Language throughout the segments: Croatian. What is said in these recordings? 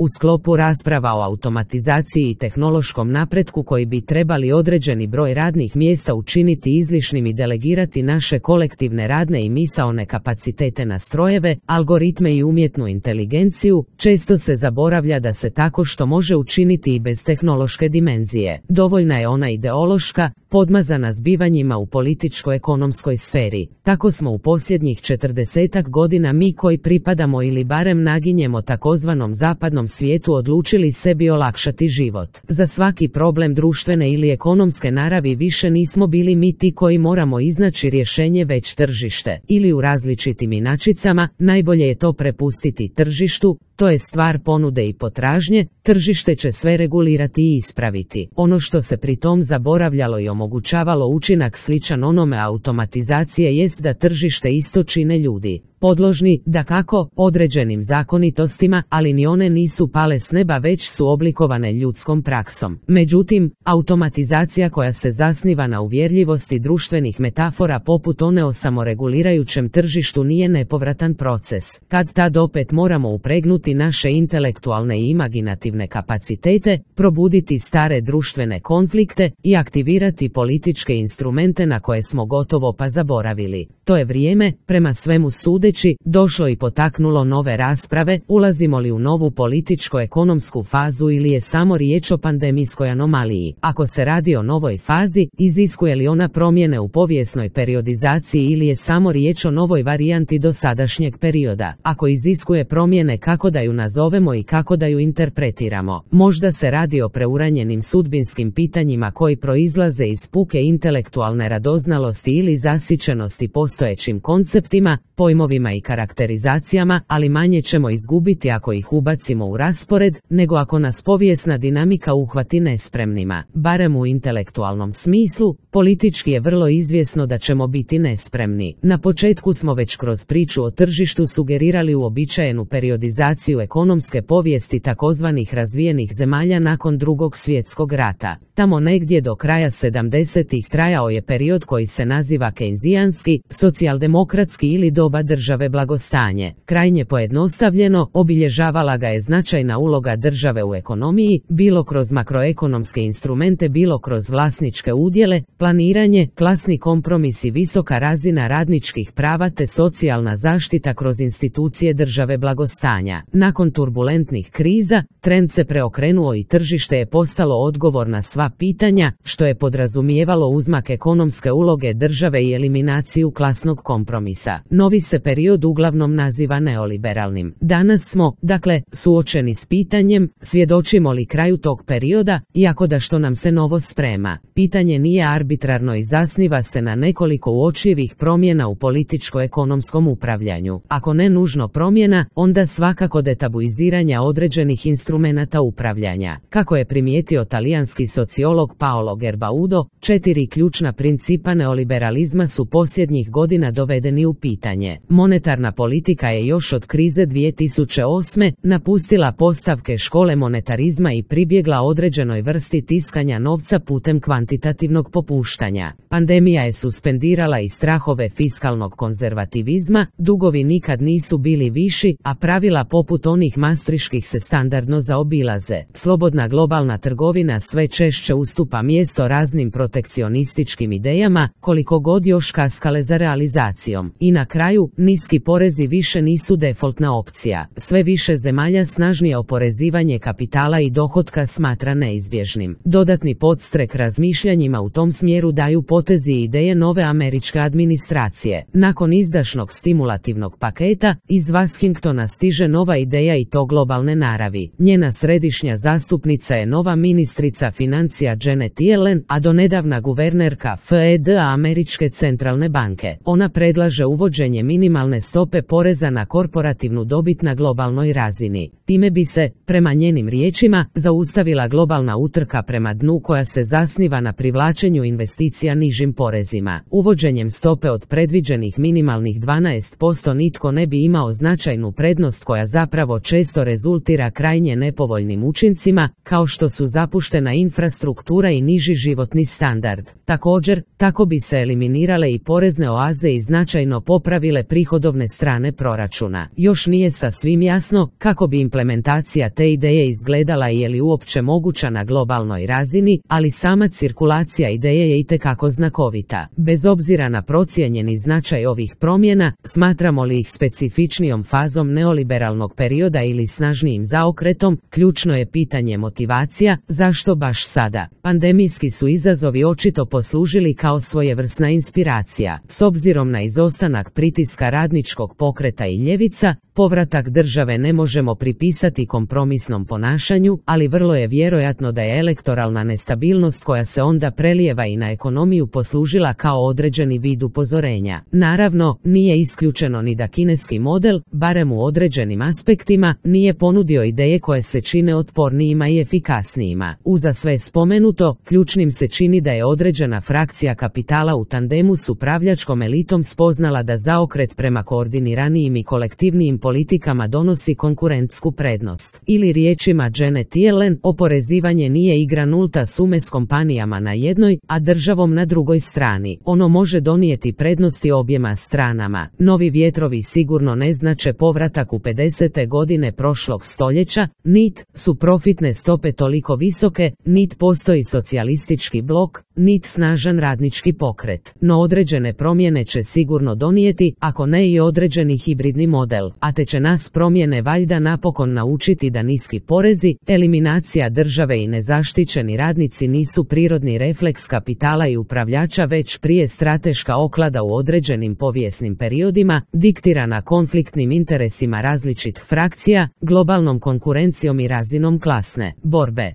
U sklopu rasprava o automatizaciji i tehnološkom napretku koji bi trebali određeni broj radnih mjesta učiniti izlišnim i delegirati naše kolektivne radne i misaone kapacitete na strojeve, algoritme i umjetnu inteligenciju, često se zaboravlja da se tako što može učiniti i bez tehnološke dimenzije. Dovoljna je ona ideološka, podmazana zbivanjima u političko-ekonomskoj sferi. Tako smo u posljednjih 40 godina mi koji pripadamo ili barem naginjemo takozvanom zapadnom svijetu odlučili sebi olakšati život. Za svaki problem društvene ili ekonomske naravi više nismo bili mi ti koji moramo iznaći rješenje već tržište. Ili u različitim inačicama, najbolje je to prepustiti tržištu, to je stvar ponude i potražnje, tržište će sve regulirati i ispraviti. Ono što se pri tom zaboravljalo i omogućavalo učinak sličan onome automatizacije jest da tržište isto čine ljudi. Podložni, dakako, određenim zakonitostima, ali ni one nisu pale s neba već su oblikovane ljudskom praksom. Međutim, automatizacija koja se zasniva na uvjerljivosti društvenih metafora poput one o samoregulirajućem tržištu nije nepovratan proces. Kad tad opet moramo upregnuti naše intelektualne i imaginativne kapacitete, probuditi stare društvene konflikte i aktivirati političke instrumente na koje smo gotovo pa zaboravili. To je vrijeme, prema svemu sudeći, došlo i potaknulo nove rasprave, ulazimo li u novu političko-ekonomsku fazu ili je samo riječ o pandemijskoj anomaliji. Ako se radi o novoj fazi, iziskuje li ona promjene u povijesnoj periodizaciji ili je samo riječ o novoj varijanti dosadašnjeg perioda. Ako iziskuje promjene, kako da ju nazovemo i kako da ju interpretiramo. Možda se radi o preuranjenim sudbinskim pitanjima koji proizlaze iz puke intelektualne radoznalosti ili zasićenosti postojećim konceptima, pojmovima i karakterizacijama, ali manje ćemo izgubiti ako ih ubacimo u raspored, nego ako nas povijesna dinamika uhvati nespremnima. Barem u intelektualnom smislu, politički je vrlo izvjesno da ćemo biti nespremni. Na početku smo već kroz priču o tržištu sugerirali uobičajenu periodizaciju ekonomske povijesti takozvanih razvijenih zemalja nakon Drugog svjetskog rata. Tamo negdje do kraja 70-ih trajao je period koji se naziva kejnzijanski, socijaldemokratski ili doba države blagostanje. Krajnje pojednostavljeno, obilježavala ga je značajna uloga države u ekonomiji, bilo kroz makroekonomske instrumente, bilo kroz vlasničke udjele, planiranje, klasni kompromis i visoka razina radničkih prava te socijalna zaštita kroz institucije države blagostanja. Nakon turbulentnih kriza, trend se preokrenuo i tržište je postalo odgovor na sva pitanja, što je podrazumijevalo uzmak ekonomske uloge države i eliminaciju klasnog kompromisa. Novi se period uglavnom naziva neoliberalnim. Danas smo, dakle, suočeni s pitanjem, svjedočimo li kraju tog perioda, iako da što nam se novo sprema. Pitanje nije arbitrarno i zasniva se na nekoliko uočljivih promjena u političko-ekonomskom upravljanju. Ako ne nužno promjena, onda svakako detabuiziranja određenih instrumenata upravljanja. Kako je primijetio talijanski sociolog Paolo Gerbaudo, 4 ključna principa neoliberalizma su posljednjih godina dovedeni u pitanje. Monetarna politika je još od krize 2008. napustila postavke škole monetarizma i pribjegla određenoj vrsti tiskanja novca putem kvantitativnog popuštanja. Pandemija je suspendirala i strahove fiskalnog konzervativizma, dugovi nikad nisu bili viši, a pravila poput onih mastriških se standardno zaobilaze. Slobodna globalna trgovina sve češće ustupa mjesto raznim protekcionističkim idejama, koliko god još kaskale za realizacijom. I na kraju, niski porezi više nisu defaultna opcija. Sve više zemalja snažnije oporezivanje kapitala i dohotka smatra neizbježnim. Dodatni podstrek razmišljanjima u tom smjeru daju potezi i ideje nove američke administracije. Nakon izdašnog stimulativnog paketa, iz Washingtona stiže nova ideja i to globalne naravi. Njena središnja zastupnica je nova ministrica financija Janet Yellen, a donedavna guvernerka FED Američke centralne banke. Ona predlaže uvođenje minimalne stope poreza na korporativnu dobit na globalnoj razini. Time bi se, prema njenim riječima, zaustavila globalna utrka prema dnu koja se zasniva na privlačenju investicija nižim porezima. Uvođenjem stope od predviđenih minimalnih 12% nitko ne bi imao značajnu prednost koja zapravo zapravo često rezultira krajnje nepovoljnim učincima, kao što su zapuštena infrastruktura i niži životni standard. Također, tako bi se eliminirale i porezne oaze i značajno popravile prihodovne strane proračuna. Još nije sasvim jasno kako bi implementacija te ideje izgledala i je li uopće moguća na globalnoj razini, ali sama cirkulacija ideje je itekako znakovita. Bez obzira na procijenjeni značaj ovih promjena, smatramo li ih specifičnijom fazom neoliberalnog perioda ili snažnijim zaokretom, ključno je pitanje motivacija, zašto baš sada? Pandemijski su izazovi očito poslužili kao svojevrsna inspiracija. S obzirom na izostanak pritiska radničkog pokreta i ljevica, povratak države ne možemo pripisati kompromisnom ponašanju, ali vrlo je vjerojatno da je elektoralna nestabilnost koja se onda prelijeva i na ekonomiju poslužila kao određeni vid upozorenja. Naravno, nije isključeno ni da kineski model, barem u određenim aspektima, nije ponudio ideje koje se čine otpornijima i efikasnijima. Uza sve spomenuto, ključnim se čini da je određena frakcija kapitala u tandemu s upravljačkom elitom spoznala da zaokret prema koordiniranijim i kolektivnijim politikama donosi konkurentsku prednost. Ili riječima Janet Yellen, oporezivanje nije igra nulta sume s kompanijama na jednoj, a državom na drugoj strani. Ono može donijeti prednosti objema stranama. Novi vjetrovi sigurno ne znače povratak u 50. godine prošlog stoljeća, nit su profitne stope toliko visoke, nit postoji socijalistički blok, nit snažan radnički pokret. No određene promjene će sigurno donijeti, ako ne i određeni hibridni model, a te će nas promjene valjda napokon naučiti da niski porezi, eliminacija države i nezaštićeni radnici nisu prirodni refleks kapitala i upravljača, već prije strateška oklada u određenim povijesnim periodima, diktirana konfliktnim interesima različitih frakcija, globalnom konkurencijom i razinom klasne borbe.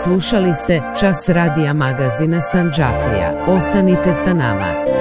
Slušali ste Čas radija magazina Sandžaklija. Ostanite sa nama.